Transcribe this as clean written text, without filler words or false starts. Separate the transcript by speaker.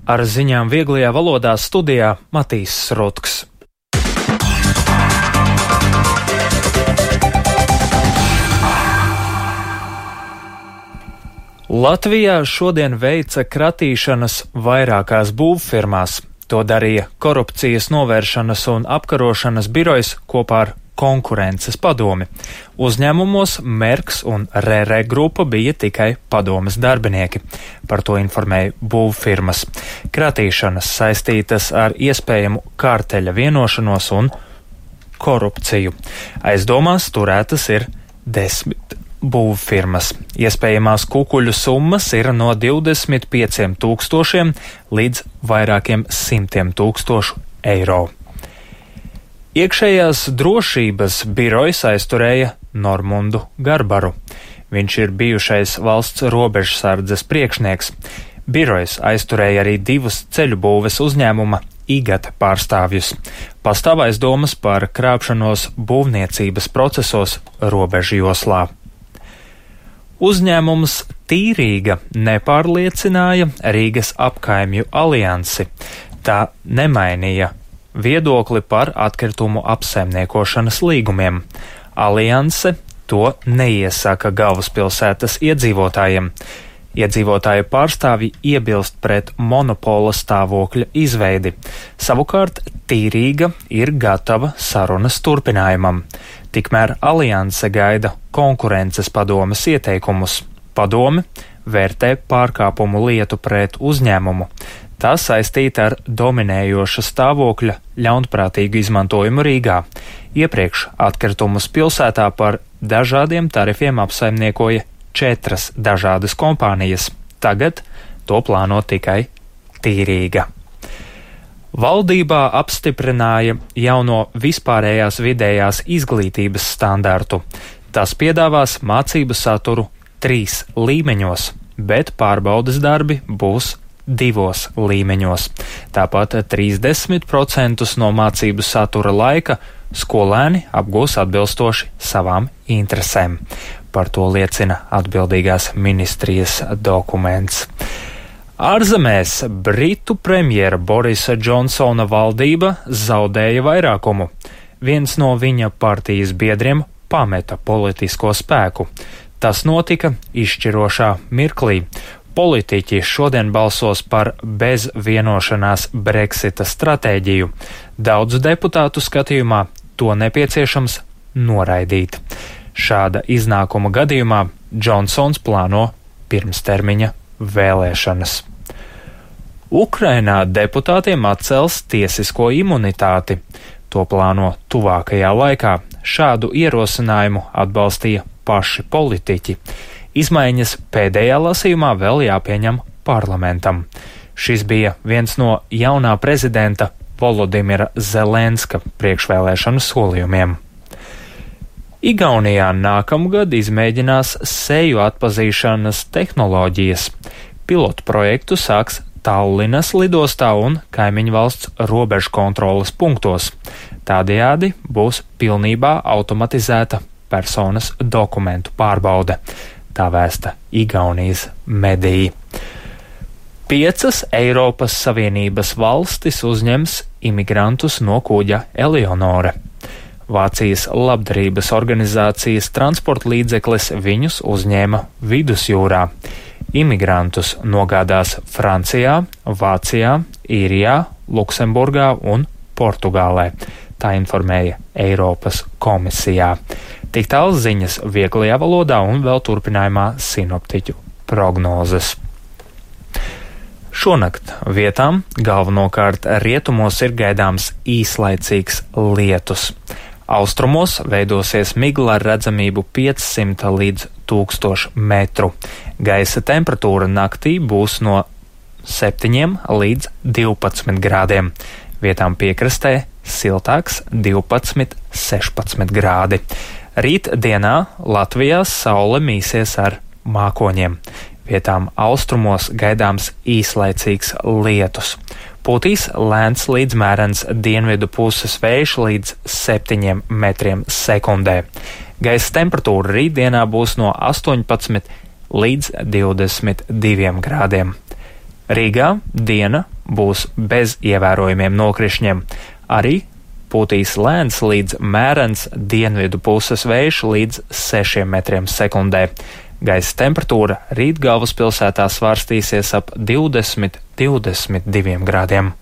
Speaker 1: Ar ziņām vieglajā valodā studijā Matīs Srutks. Latvijā šodien veica kratīšanas vairākās būvfirmās. To darīja Korupcijas novēršanas un apkarošanas birojs kopā ar Konkurences padomi. Uzņēmumos Merks un RR grupa bija tikai padomes darbinieki. Par to informēja būvfirmas. Kratīšanas saistītas ar iespējamu kārteļa vienošanos un korupciju. Aizdomās turētas ir 10 būvfirmas. Iespējamās kukuļu summas ir no 25 000 līdz vairākiem 100 000 eiro. Iekšējās drošības birojs aizturēja Normundu Garbaru. Viņš ir bijušais valsts robežsardzes priekšnieks. Birojs aizturēja arī 2 ceļu būves uzņēmuma IGAT pārstāvjus. Pastāv aizdomas par krāpšanos būvniecības procesos robežu joslā. Uzņēmums Tīrīga nepārliecināja Rīgas apkaimju aliansi. Tā nemainīja viedokli par atkritumu apsaimniekošanas līgumiem. Alianse to neiesaka galvaspilsētas iedzīvotājiem. Iedzīvotāju pārstāvji iebilst pret monopola stāvokļa izveidi. Savukārt Tīrīga ir gatava sarunas turpinājumam. Tikmēr alianse gaida Konkurences padomes ieteikumus. Padome vērtē pārkāpumu lietu pret uzņēmumu. Tā saistīta ar dominējoša stāvokļa ļaunprātīgu izmantojumu Rīgā. Iepriekš atkritumus pilsētā par dažādiem tarifiem apsaimniekoja 4 dažādas kompānijas. Tagad to plāno tikai Tīrīga. Valdībā apstiprināja jauno vispārējās vidējās izglītības standartu. Tas piedāvās mācību saturu 3 līmeņos, bet pārbaudes darbi būs 2 līmeņos. Tāpat 30% no mācību satura laika skolēni apgūs atbilstoši savām interesēm. Par to liecina atbildīgās ministrijas dokuments. Ārzemēs Britu premjera Borisa Džonsona valdība zaudēja vairākumu. Viens no viņa partijas biedriem pameta politisko spēku. Tas notika izšķirošā mirklī. Politiķi šodien balsos par bez vienošanās Brexita stratēģiju. Daudzu deputātu skatījumā to nepieciešams noraidīt. Šāda iznākuma gadījumā Džonsons plāno pirmstermiņa vēlēšanas. Ukrainā deputātiem atcels tiesisko imunitāti. To plāno tuvākajā laikā. Šādu ierosinājumu atbalstīja paši politiķi. Izmaiņas pēdējā lasījumā vēl jāpieņem parlamentam. Šis bija viens no jaunā prezidenta Volodimira Zelenska priekšvēlēšanu solījumiem. Igaunijā nākamgad izmēģinās seju atpazīšanas tehnoloģijas. Pilotu projektu sāks Tallinas lidostā un kaimiņu valsts robežu kontroles punktos. Tādējādi būs pilnībā automatizēta personas dokumentu pārbaude. Tā vēsta Igaunijas mediji. 5 Eiropas Savienības valstis uzņems imigrantus no kuģa Eleonore. Vācijas labdarības organizācijas transporta līdzeklis viņus uzņēma vidusjūrā. Imigrantus nogādās Francijā, Vācijā, Īrijā, Luksemburgā un Portugālē. Tā informēja Eiropas komisijā. Tik tālu ziņas vieglajā valodā un vēl turpinājumā sinoptiķu prognozes. Šonakt vietām galvenokārt rietumos ir gaidāms īslaicīgs lietus. Austrumos veidosies migla ar redzamību 500 līdz 1000 metru. Gaisa temperatūra naktī būs no 7 līdz 12 grādiem. Vietām piekrastē siltāks 12–16 grādi. Rīt dienā Latvijā saule mīsies ar mākoņiem. Vietām austrumos gaidāms īslaicīgs lietus. Pūtīs lēns līdz mērens dienvidu puses vējš līdz 7 metriem sekundē. Gaisa temperatūra rītdienā būs no 18 līdz 22 grādiem. Rīgā diena būs bez ievērojumiem nokrišņiem. Arī pūtīs lēns līdz mērens dienvidu puses vējš līdz 6 metriem sekundē. Gaisa temperatūra rīt galvaspilsētā svārstīsies ap 20–22 grādiem.